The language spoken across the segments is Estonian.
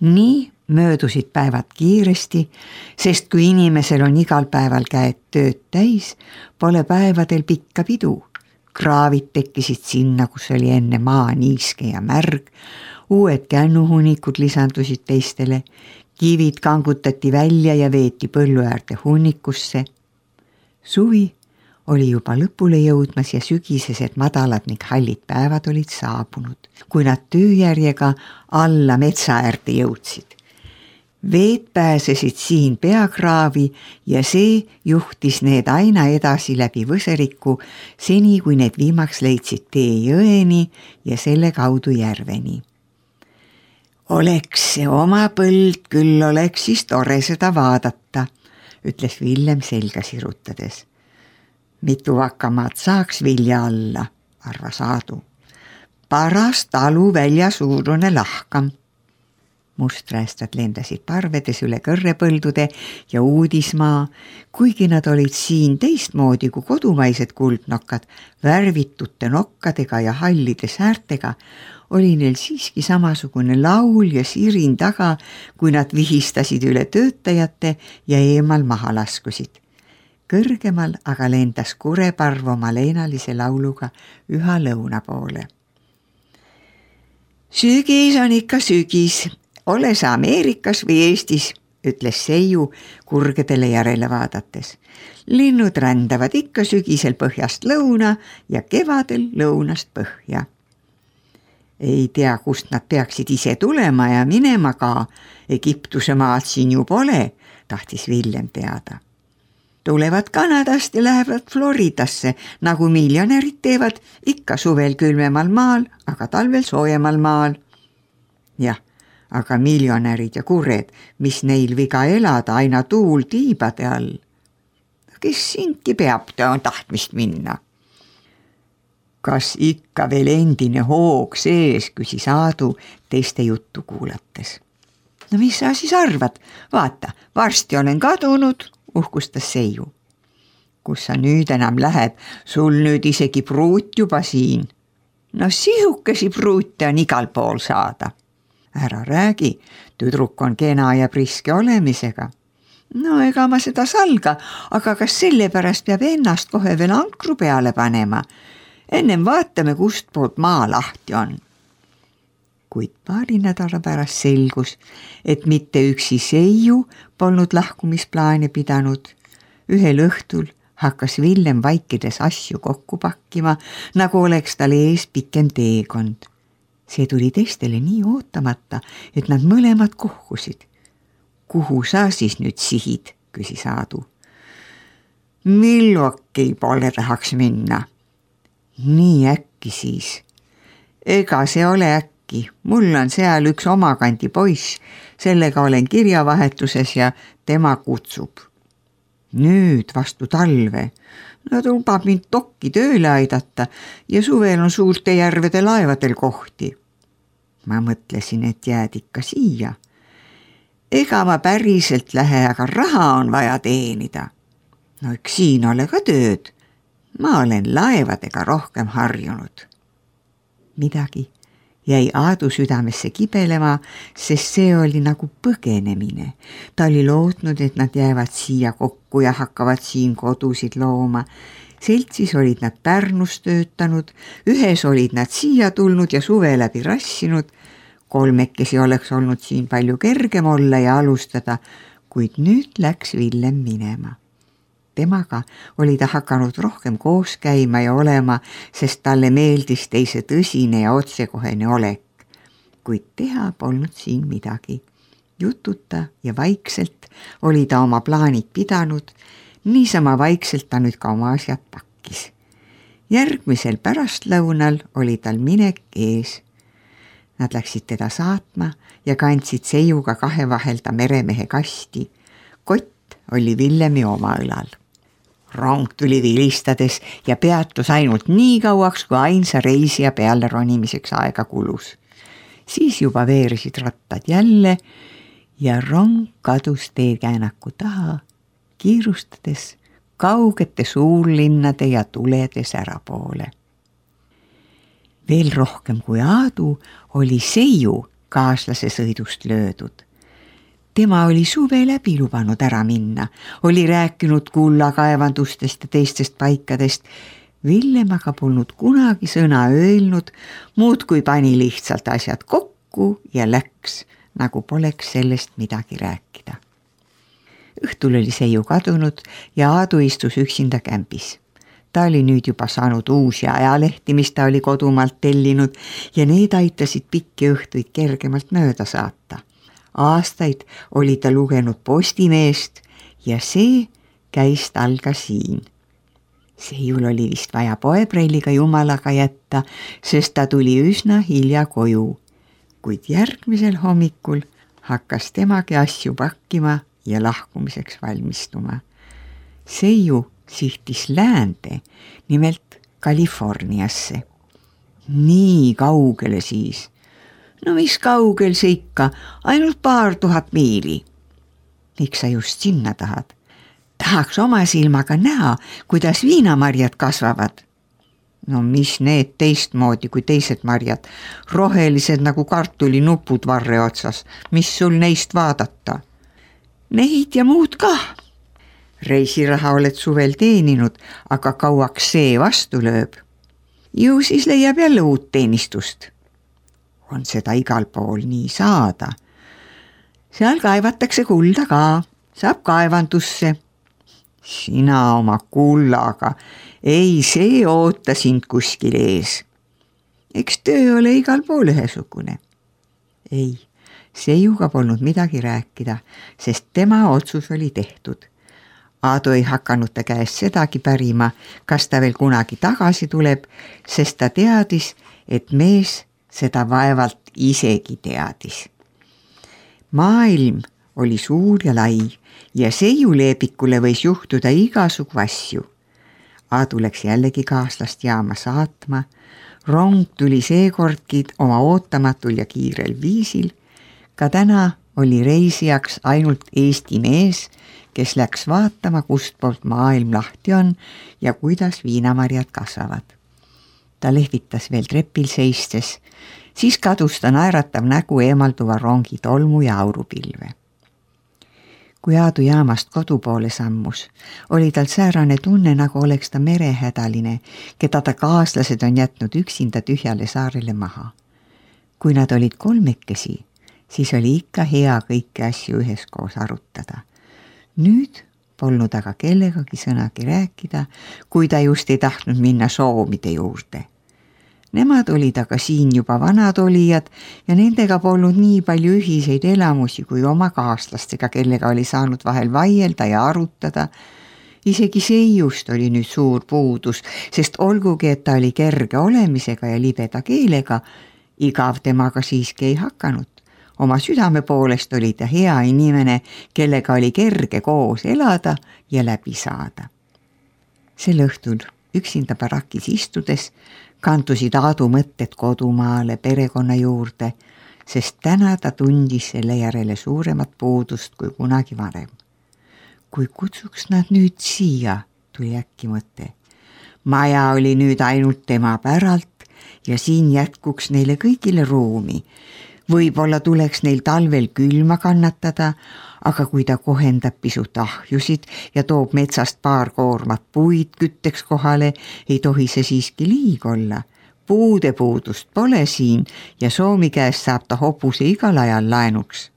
Nii möödusid päevad kiiresti, sest kui inimesel on igal päeval käed tööd täis, pole päevadel pikka pidu. Kraavid tekkisid sinna, kus oli enne maa niiske ja märg, uued kännuhunnikud lisandusid teistele, kivid kangutati välja ja veeti põllu äärde hunnikusse. Suvi oli juba lõpule jõudmas ja sügisesed madalad ning hallid päevad olid saabunud, kui nad tööjärjega alla metsa äärde jõudsid. Veed pääsesid siin peakraavi ja see juhtis need aina edasi läbi Võseriku, seni kui need viimaks leidsid tee jõeni ja selle kaudu järveni. Oleks see oma põld, küll oleks siis tore seda vaadata, ütles Villem selga sirutades. Mitu vakamaad saaks vilja alla, arvas Aadu. Paras talu välja suurune lahkam. Musträestad lendasid parvedes üle kõrrepõldude ja uudismaa, kuigi nad olid siin teistmoodi kui kodumaised kuldnokkad, värvitute nokkadega ja hallide säärtega, oli neil siiski samasugune laul ja sirin taga, kui nad vihistasid üle töötajate ja eemal maha laskusid. Kõrgemal aga lendas kureparv oma leinalise lauluga üha lõuna poole. Sügis on ikka sügis, ole sa Ameerikas või Eestis, ütles Seiu kurgedele järele vaadates. Linnud rändavad ikka sügisel põhjast lõuna ja kevadel lõunast põhja. Ei tea, kust nad peaksid ise tulema ja minema ka, Egiptuse maad siin ju pole, tahtis Villem teada. Tulevad Kanadast ja lähevad Floridasse, nagu miljonärid teevad, ikka suvel külmemal maal, aga talvel soojemal maal. Jah, aga miljonärid ja kured, mis neil viga elada aina tuul tiibade all. Kes siinki peab tahtmist minna? Kas ikka veel endine hoog sees, küsis Aadu teiste juttu kuulates. No mis sa siis arvad? Vaata, varsti olen kadunud, uhkustas Seiu. Kus sa nüüd enam lähed? Sul nüüd isegi pruut juba siin. No sihukesi pruute on igal pool saada. Ära räägi, tüdruk on kena ja priske olemisega. No ega ma seda salga, aga kas sellepärast peab ennast kohe veel ankru peale panema? Ennem vaatame, kust poolt maa lahti on. Kuid paari nädala pärast selgus, et mitte üksi Seiu polnud lahkumisplaane pidanud. Ühel õhtul hakkas Villem vaikides asju kokku pakkima, nagu oleks tal ees pikem teekond. See tuli teistele nii ootamata, et nad mõlemad kohkusid. Kuhu sa siis nüüd sihid, küsis Aadu. Milwaukee poole tahaks minna. Nii äkki siis. Ega see ole äkki. Mul on seal üks omakandi poiss, sellega olen kirjavahetuses ja tema kutsub. Nüüd vastu talve. Nad lubab mind dokki tööle aidata ja suvel on suurte järvede laevadel kohti. Ma mõtlesin, et jääd ikka siia. Ega ma päriselt lähe, aga raha on vaja teenida. No eks siin ole ka tööd. Ma olen laevadega rohkem harjunud. Midagi jäi Aadu südamesse kibelema, sest see oli nagu põgenemine. Ta oli lootnud, et nad jäävad siia kokku ja hakkavad siin kodusid looma. Seltsis olid nad Pärnus töötanud, ühes olid nad siia tulnud ja suve läbi rassinud. Kolmekesi oleks olnud siin palju kergem olla ja alustada, kuid nüüd läks Villem minema. Temaga oli ta hakanud rohkem koos käima ja olema, sest talle meeldis teise tõsine ja otsekohene olek. Kuid teha polnud siin midagi. Jututa ja vaikselt oli ta oma plaanid pidanud, niisama vaikselt ta nüüd ka oma asjad pakkis. Järgmisel pärastlõunal oli tal minek ees. Nad läksid teda saatma ja kandsid Seiuga kahe vahelda meremehe kasti. Kott oli Villemi oma õlal. Rong tuli vilistades ja peatus ainult nii kauaks, kui ainsa reisija peale ronimiseks aega kulus. Siis juba veerisid rattad jälle ja rong kadus teekäänaku taha, kiirustades kaugete suurlinnade ja tulede särapoole. Veel rohkem kui Aadu oli Seiu, kaaslase sõidust löödud. Tema oli suve läbi lubanud ära minna, oli rääkinud kullakaevandustest ja teistest paikadest. Villem aga polnud kunagi sõna öelnud, muud kui pani lihtsalt asjad kokku ja läks, nagu poleks sellest midagi rääkida. Õhtul oli Seiu kadunud ja Aadu istus üksinda kämbis. Ta oli nüüd juba saanud uusi ajalehti, mis ta oli kodumaalt tellinud ja need aitasid pikki õhtuid kergemalt mööda saata. Aastaid oli ta lugenud Postimeest ja see käis tal ka siin. Seiul oli vist vaja poeprelliga jumalaga jätta, sest ta tuli üsna hilja koju. Kuid järgmisel hommikul hakkas temagi asju pakkima ja lahkumiseks valmistuma. Seiu sihtis läände, nimelt Californiasse. Nii kaugele siis. No mis kaugel see ikka, ainult 2000 miili. Miks sa just sinna tahad? Tahaks oma silmaga näha, kuidas viinamarjad kasvavad. No mis need teistmoodi kui teised marjad, rohelised nagu kartulinupud varre otsas, mis sul neist vaadata? Neid ja muud kah. Reisiraha oled suvel teeninud, aga kauaks see vastu lööb. Ju siis leiab jälle uut teenistust. On seda igal pool nii saada. Seal kaevatakse kulda ka, saab kaevandusse. Sina oma kullaga, ei see oota sind kuskil ees. Eks töö ole igal pool ühesugune. Ei, Seiuga polnud midagi rääkida, sest tema otsus oli tehtud. Aadu ei hakanud ta käest sedagi pärima, kas ta veel kunagi tagasi tuleb, sest ta teadis, et mees seda vaevalt isegi teadis. Maailm oli suur ja lai ja Seiu Leepikule võis juhtuda igasugu asju. Aadu läks jällegi kaaslast jaama saatma. Rong tuli seekordki oma ootamatul ja kiirel viisil. Ka täna oli reisijaks ainult Eesti mees, kes läks vaatama, kust poolt maailm lahti on ja kuidas viinamarjad kasvavad. Ta lehvitas veel trepil seistes, siis kadus ta naeratav nägu eemalduva rongi tolmu ja aurupilve. Kui Aadu jaamast kodu poole sammus, oli tal säärane tunne, nagu oleks ta merehädaline, keda ta kaaslased on jätnud üksinda tühjale saarele maha. Kui nad olid kolmekesi, siis oli ikka hea kõiki asju üheskoos arutada. Nüüd polnud aga kellegagi sõnagi rääkida, kui ta just ei tahtnud minna soomide juurde. Nemad olid aga siin juba vanad olijad ja nendega polnud nii palju ühiseid elamusi kui oma kaaslastega, kellega oli saanud vahel vaielda ja arutada. Isegi Seiust oli nüüd suur puudus, sest olgugi, et ta oli kerge olemisega ja libeda keelega, igav temaga siiski ei hakanud. Oma südame poolest oli ta hea inimene, kellega oli kerge koos elada ja läbi saada. Sel õhtul üksinda barakis istudes kandusid Aadu mõtted kodumaale, perekonna juurde, sest täna ta tundis selle järele suuremat puudust kui kunagi varem. Kui kutsuks nad nüüd siia, tuli äkki mõte. Maja oli nüüd ainult tema päralt ja siin jätkuks neile kõigile ruumi. Võib-olla tuleks neil talvel külma kannatada, aga kui ta kohendab pisut ahjusid ja toob metsast paar koormat puid kütteks kohale, ei tohi see siiski liig olla. Puude puudust pole siin ja Soomi käest saab ta hobuse igal ajal laenuks.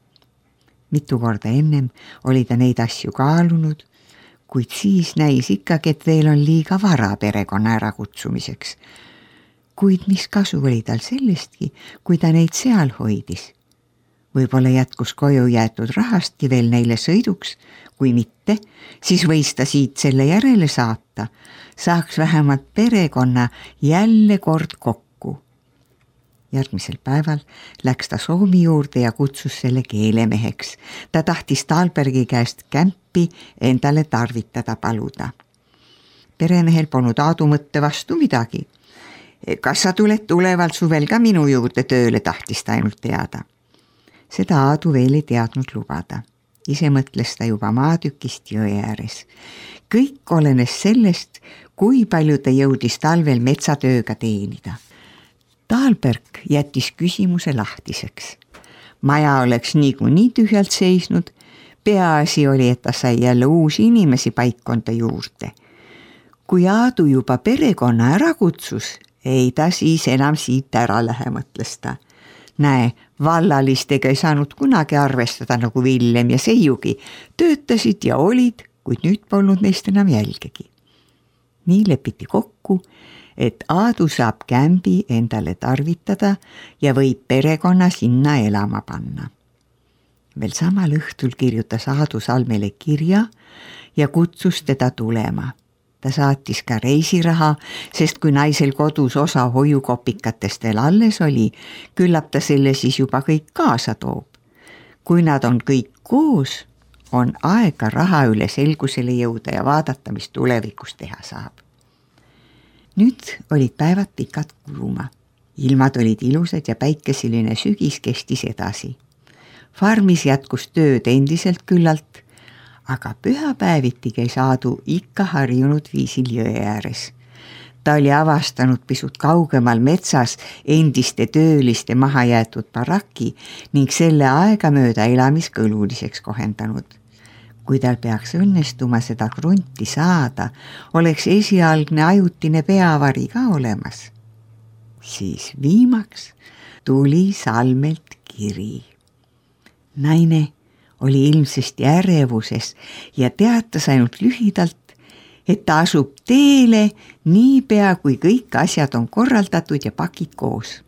Mitu korda ennem oli ta neid asju kaalunud, kuid siis näis ikkagi, et veel on liiga vara perekonna ärakutsumiseks. Kuid mis kasu oli tal sellestki, kui ta neid seal hoidis? Võib-olla jätkus koju jäetud rahastki veel neile sõiduks, kui mitte, siis võis ta siit selle järele saata, saaks vähemalt perekonna jälle kord kokku. Järgmisel päeval läks ta Soomi juurde ja kutsus selle keelemeheks. Ta tahtis Talbergi käest kämpi endale tarvitada paluda. Peremehel polnud Aadu mõtte vastu midagi. Kas sa tuled tuleval suvel ka minu juurde tööle, tahtis ta ainult teada. Seda Aadu veel ei teadnud lubada. Ise mõtles ta juba maatükist jõe ääres. Kõik olenes sellest, kui palju ta jõudis talvel metsatööga teenida. Talberg jättis küsimuse lahtiseks. maja oleks niikuinii tühjalt seisnud, peaasi oli, et ta sai jälle uusi inimesi paikkonda juurde. Kui Aadu juba perekonna ära kutsus, ei ta siis enam siit ära lähe, mõtles ta. Näe, vallalistega ei saanud kunagi arvestada nagu Villem ja Seiugi, töötasid ja olid, kuid nüüd polnud neist enam jälgegi. Nii lepiti kokku, et Aadu saab kämbi endale tarvitada ja võib perekonna sinna elama panna. Veel samal õhtul kirjutas Aadu Salmele kirja ja kutsus teda tulema. Ta saatis ka reisiraha, sest kui naisel kodus osa hoiukopikatest veel alles oli, küllap ta selle siis juba kõik kaasa toob. Kui nad on kõik koos, on aega raha üle selgusele jõuda ja vaadata, mis tulevikus teha saab. Nüüd olid päevad pikad kuluma. Ilmad olid ilusad ja päikeseline sügis kestis edasi. Farmis jätkus tööd endiselt küllalt, aga pühapäeviti käis Aadu ikka harjunud viisil jõe ääres. Ta oli avastanud pisut kaugemal metsas endiste tööliste maha jäetud baraki ning selle aegamööda elamiskõluliseks kohendanud. Kui tal peaks õnnestuma seda krunti saada, oleks esialgne ajutine peavari ka olemas. Siis viimaks tuli Salmelt kiri. Naine oli ilmsesti ärevuses ja teatas ainult lühidalt, et ta asub teele niipea, kui kõik asjad on korraldatud ja pakid koos.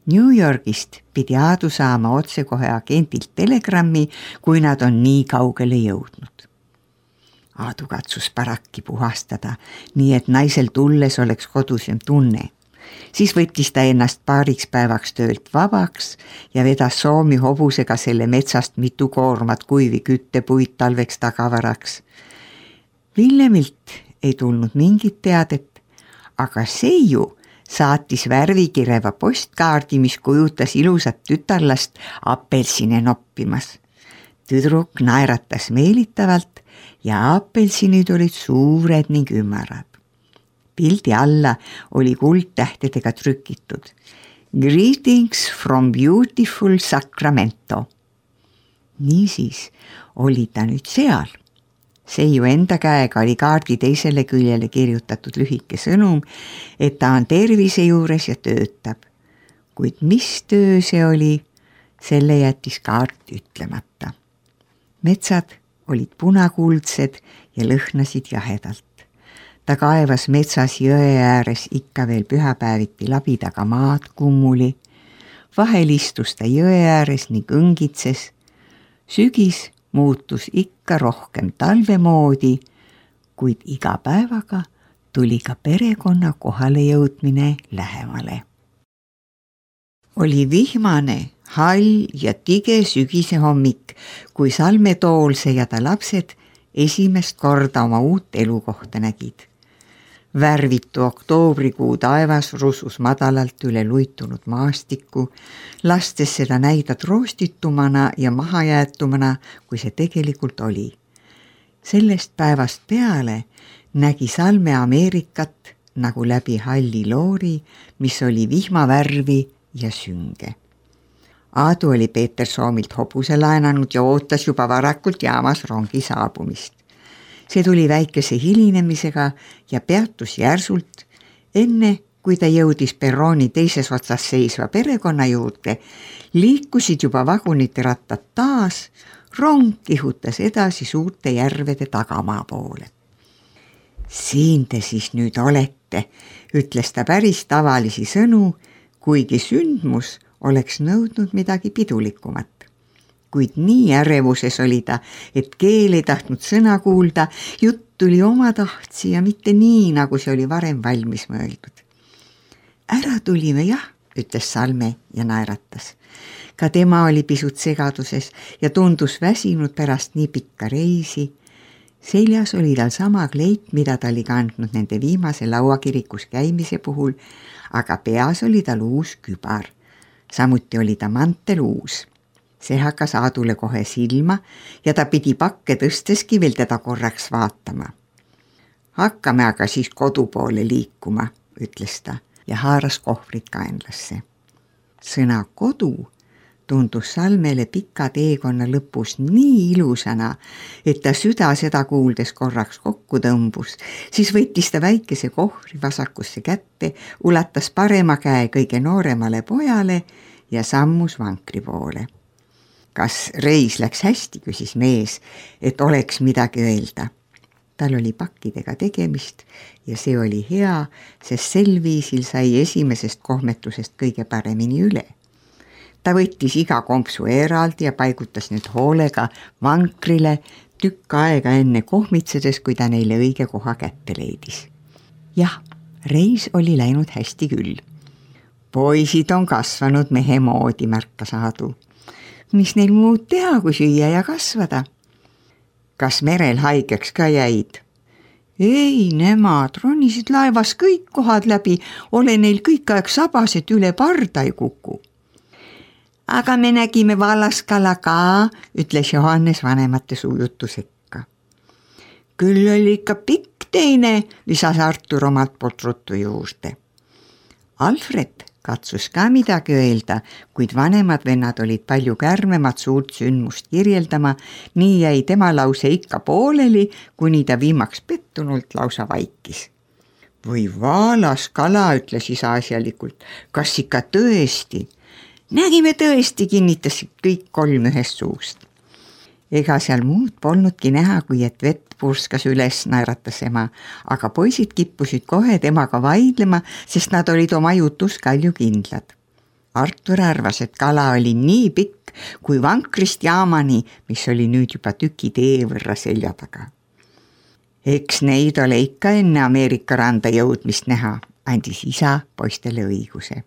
New Yorgist pidi Aadu saama otsekohe agendilt telegrammi, kui nad on nii kaugele jõudnud. Aadu katsus barakki puhastada, nii et naisel tulles oleks kodusem tunne. Siis võttis ta ennast paariks päevaks töölt vabaks ja vedas Soomi hobusega selle metsast mitu koormat kuivi küttepuid talveks tagavaraks. Villemilt ei tulnud mingit teadet, aga Seiu saatis värvikireva postkaardi, mis kujutas ilusat tütarlast apelsine noppimas. Tüdruk naeratas meelitavalt ja apelsinid olid suured ning ümarad. Pildi alla oli kuldtähtedega trükitud Greetings from beautiful Sacramento. Niisiis oli ta nüüd seal. Seiu enda käega oli kaardi teisele küljele kirjutatud lühike sõnum, et ta on tervise juures ja töötab. Kuid mis töö see oli, selle jättis kaart ütlemata. Metsad olid punakuldsed ja lõhnasid jahedalt. Ta kaevas metsas jõe ääres ikka veel pühapäeviti labidaga maad kummuli. Vahel istus ta jõe ääres ning õngitses. Sügis muutus ikka rohkem talve moodi, kuid iga päevaga tuli ka perekonna kohale jõudmine lähemale. Oli vihmane, hall ja tige sügise hommik, kui Salme Toolse ja ta lapsed esimest korda oma uut elukohta nägid. Värvitu oktoobrikuu taevas rusus madalalt üle luitunud maastikku, lastes seda näida roostitumana ja mahajäetumana, kui see tegelikult oli. Sellest päevast peale nägi Salme Ameerikat nagu läbi halli loori, mis oli vihmavärvi ja sünge. Aadu oli Peeter Soomilt hobuse laenanud ja ootas juba varakult jaamas rongi saabumist. See tuli väikese hilinemisega ja peatus järsult, enne kui ta jõudis perrooni teises otsas seisva perekonna juurde, liikusid juba vagunite rattad taas, rong kihutas edasi suurte järvede tagamaa poole. Siin te siis nüüd olete, ütles ta päris tavalisi sõnu, kuigi sündmus oleks nõudnud midagi pidulikumat. Kuid nii ärevuses oli ta, et keel ei tahtnud sõna kuulda, jutt tuli oma tahtsi ja mitte nii, nagu see oli varem valmis mõeldud. Ära tulime jah, ütles Salme ja naeratas. Ka tema oli pisut segaduses ja tundus väsinud pärast nii pikka reisi. Seljas oli tal sama kleit, mida ta oli kandnud nende viimase lauakirikus käimise puhul, aga peas oli tal uus kübar. Samuti oli ta mantel uus. See hakkas Aadule kohe silma ja ta pidi pakke tõsteski veel teda korraks vaatama. Hakkame aga siis kodu poole liikuma, ütles ta ja haaras kohvrit kaenlasse. Sõna kodu tundus Salmele pika teekonna lõpus nii ilusana, et ta süda seda kuuldes korraks kokku tõmbus, siis võttis ta väikese kohvri vasakusse kätte, ulatas parema käe kõige nooremale pojale ja sammus vankri poole. Kas reis läks hästi, küsis mees, et oleks midagi öelda. Tal oli pakkidega tegemist ja see oli hea, sest sel viisil sai esimesest kohmetusest kõige paremini üle. Ta võttis iga kompsu eraldi ja paigutas nüüd hoolega vankrile tükk aega enne kohmitsedes, kui ta neile õige koha kätte leidis. Jah, reis oli läinud hästi küll. Poisid on kasvanud mehe moodi, märkas Aadu. Mis neil muud teha, kui süüa ja kasvada? Kas merel haigeks ka jäid? Ei, nemad ronisid laevas kõik kohad läbi, ole neil kõik aeg sabas, et üle parda ei kuku. Aga me nägime vallaskala ka, ütles Johannes vanemate suujutu sekka. Küll oli ikka pikk teine, lisas Artur omalt poolt ruttu juurde. Alfred katsus ka midagi öelda, kuid vanemad vennad olid palju kärmemad suurt sündmust kirjeldama, nii jäi tema lause ikka pooleli, kuni ta viimaks pettunult lausa vaikis. Või vaalaskala, ütles isa asjalikult, kas ikka tõesti? Nägime tõesti, kinnitasid kõik kolm ühest suust. Ega seal muud polnudki näha, kui et vett purskas üles, naeratas ema, aga poisid kippusid kohe temaga vaidlema, sest nad olid oma jutus kalju kindlad. Artur arvas, et kala oli nii pikk kui vankrist jaamani, mis oli nüüd juba tüki tee võrra selja taga. Eks neid ole ikka enne Ameerika randa jõudmist näha, andis isa poistele õiguse.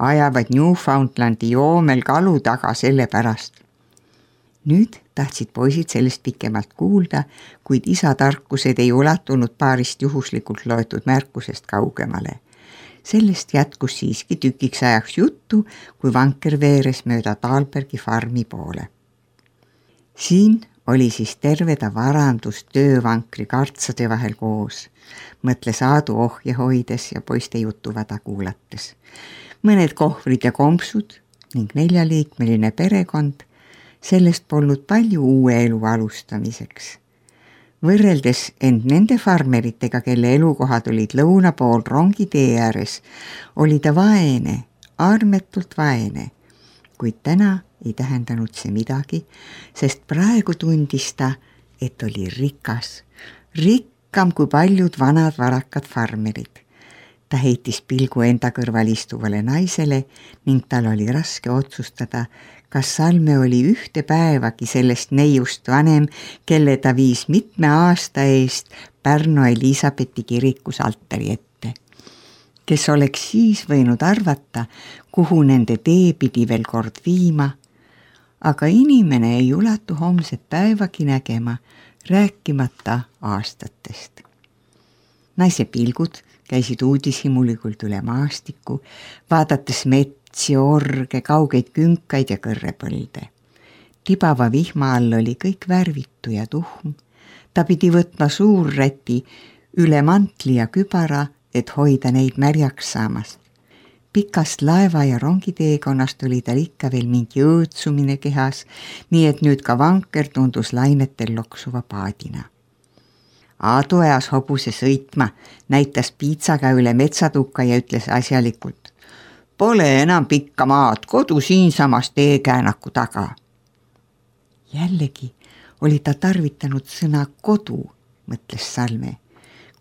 Ajavad Newfoundlandi joomel kalu taga selle pärast. Nüüd tahtsid poisid sellest pikemalt kuulda, kuid isa tarkused ei ulatunud paarist juhuslikult loetud märkusest kaugemale. Sellest jätkus siiski tükiks ajaks juttu, kui vanker veeres mööda Taalbergi farmi poole. Siin oli siis terve ta varandus töövankri kartsade vahel koos, mõtles Aadu ohje hoides ja poiste jutuvada kuulates. Mõned kohvrid ja kompsud ning 4-liikmeline perekond, sellest polnud palju uue elu alustamiseks. Võrreldes end nende farmeritega, kelle elukohad olid lõuna pool rongitee ääres, oli ta vaene, armetult vaene, kuid täna ei tähendanud see midagi, sest praegu tundis ta, et oli rikas, rikkam kui paljud vanad varakad farmerid. Ta heitis pilgu enda kõrval istuvale naisele ning tal oli raske otsustada, kas Salme oli ühte päevagi sellest neiust vanem, kelle ta viis mitme aasta eest Pärnu Elisabethi kirikus altari ette. Kes oleks siis võinud arvata, kuhu nende tee pidi veel kord viima, aga inimene ei ulatu homset päevagi nägema, rääkimata aastatest. Naise pilgud käisid uudishimulikult üle maastiku, vaadates metsi, orge, kaugeid künkaid ja kõrrepõlde. Tibava vihma all oli kõik värvitu ja tuhm. Ta pidi võtma suurräti üle mantli ja kübara, et hoida neid märjaks saamast. Pikast laeva ja rongiteekonnast oli tal ikka veel mingi õõtsumine kehas, nii et nüüd ka vanker tundus lainetel loksuva paadina. Aadu ajas hobuse sõitma, näitas piitsaga üle metsatukka ja ütles asjalikult. Pole enam pikka maad, kodu siinsamas teekäänaku taga. Jällegi oli ta tarvitanud sõna kodu, mõtles Salme,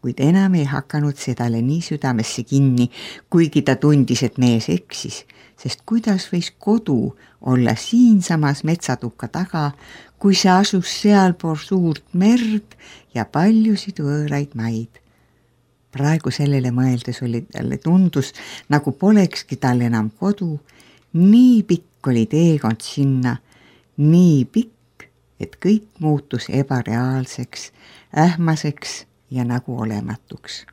kuid enam ei hakanud sedale nii südamesse kinni, kuigi ta tundis, et mees eksis, sest kuidas võis kodu olla siinsamas metsatukka taga, kui see asus sealpool suurt merd ja paljusid võõraid maid. Praegu sellele mõeldes oli talle tundus, nagu polekski tal enam kodu, nii pikk oli teekond sinna, nii pikk, et kõik muutus ebareaalseks, ähmaseks ja nagu olematuks.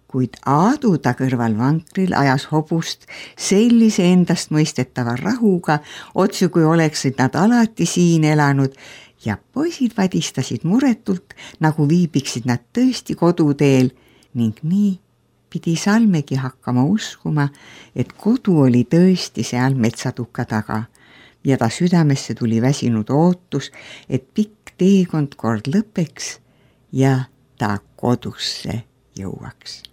Kuid Aadu ta kõrval vankril ajas hobust sellise endast mõistetava rahuga, otsu kui oleksid nad alati siin elanud ja poisid vadistasid muretult, nagu viibiksid nad tõesti koduteel ning nii pidi Salmegi hakkama uskuma, et kodu oli tõesti seal metsatuka taga, ja ta südamesse tuli väsinud ootus, et pikk teekond kord lõpeks ja ta kodusse jõuaks.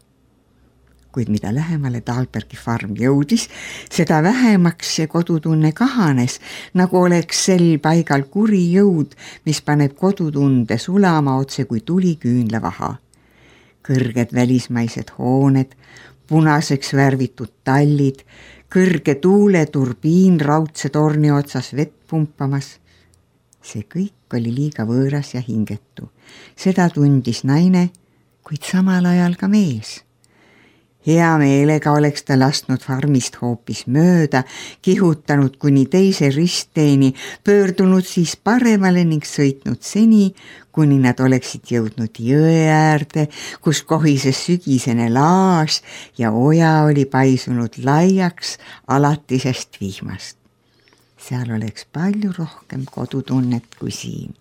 Kuid mida lähemale Dahlbergi farm jõudis, seda vähemaks see kodutunne kahanes, nagu oleks sel paigal kuri jõud, mis paneb kodutunde sulama otse kui tuli küünlavaha. Kõrged välismaised hooned, punaseks värvitud tallid, kõrge tuuleturbiin raudse torni otsas vett pumpamas. See kõik oli liiga võõras ja hingetu. Seda tundis naine, kuid samal ajal ka mees. Hea meelega oleks ta lasknud farmist hoopis mööda, kihutanud kuni teise ristteeni, pöördunud siis paremale ning sõitnud seni, kuni nad oleksid jõudnud jõe äärde, kus kohises sügisene laas ja oja oli paisunud laiaks alatisest vihmast. Seal oleks palju rohkem kodutunnet kui siin.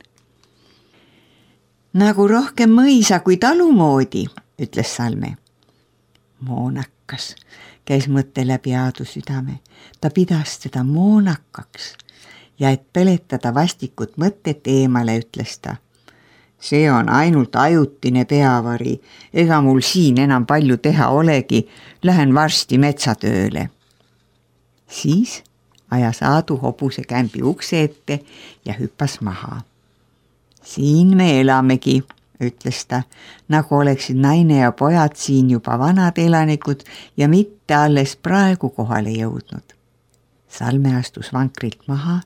Nagu rohkem mõisa kui talumoodi, ütles Salme. Moonakas, käis mõtte läbi Aadu südame. Ta pidas teda moonakaks ja et peletada vastikut mõtet eemale, ütles ta. See on ainult ajutine peavari, ega mul siin enam palju teha olegi, lähen varsti metsatööle. Siis ajas Aadu hobuse kämbi ukse ette ja hüppas maha. Siin me elamegi, ütles ta, nagu oleksid naine ja pojad siin juba vanad elanikud ja mitte alles praegu kohale jõudnud. Salme astus vankrilt maha,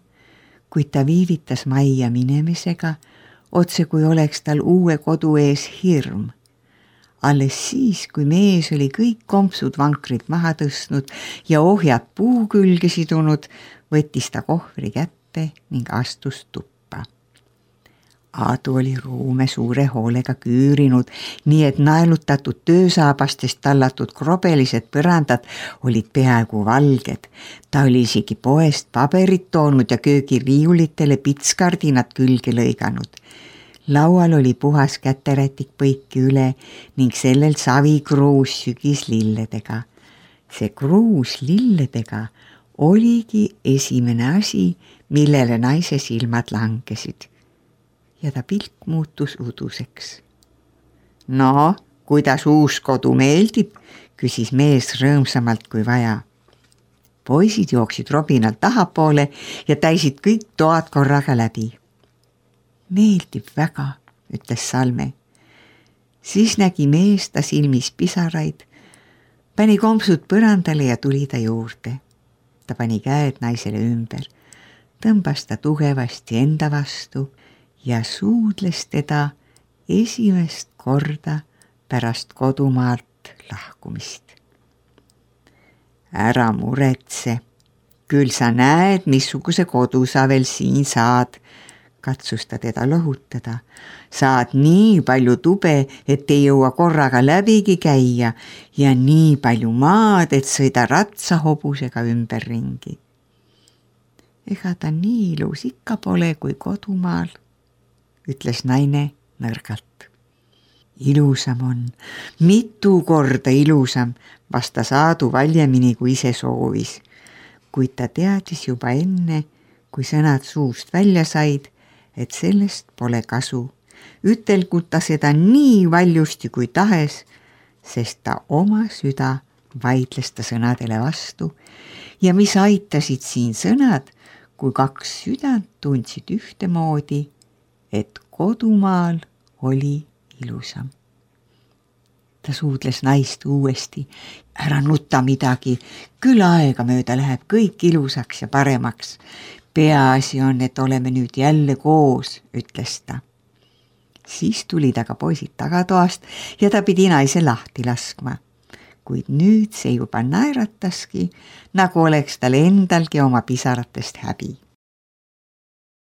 kuid ta viivitas majja minemisega, otse kui oleks tal uue kodu ees hirm. Alles siis, kui mees oli kõik kompsud vankrit maha tõstnud ja ohjad puu külge sidunud, võttis ta kohvri kätte ning astus tuppa. Aadu oli ruume suure hoolega küürinud, nii et naelutatud töösaabastest tallatud krobelised põrandad olid peaaegu valged. Ta oli isegi poest paberit toonud ja köögiriiulitele pitskardinad külge lõiganud. Laual oli puhas käterätik põiki üle ning sellel savikruus sügis lilledega. See kruus lilledega oligi esimene asi, millele naise silmad langesid. Ja ta pilk muutus uduseks. No, kuidas uus kodu meeldib, küsis mees rõõmsamalt kui vaja. Poisid jooksid robinalt tahapoole ja täisid kõik toad korraga läbi. Meeldib väga, ütles Salme. Siis nägi mees ta silmis pisaraid, pani kompsud põrandale ja tuli ta juurde. Ta pani käed naisele ümber, tõmbas ta tugevasti enda vastu ja suudles teda esimest korda pärast kodumaalt lahkumist. Ära muretse, küll sa näed, missuguse kodu sa veel siin saad, katsus ta teda lohutada. Saad nii palju tube, et ei jõua korraga läbigi käia ja nii palju maad, et sõida ratsahobusega ümberringi. Ega ta nii ilus ikka pole kui kodumaal, ütles naine nõrgalt. Ilusam on, mitu korda ilusam, vastas Aadu valjemini kui ise soovis, kuid ta teadis juba enne, kui sõnad suust välja said, et sellest pole kasu. Ütelgu ta seda nii valjusti kui tahes, sest ta oma süda vaidles ta sõnadele vastu ja mis aitasid siin sõnad, kui kaks südant tundsid ühtemoodi, et kodumaal oli ilusam. Ta suudles naist uuesti. Ära nuta midagi, küll aega mööda läheb kõik ilusaks ja paremaks. Peaasi on, et oleme nüüd jälle koos, ütles ta. Siis tuli ta ka poisid tagatoast ja ta pidi naise lahti laskma. Kuid nüüd see juba naerataski, nagu oleks tal endalgi oma pisaratest häbi.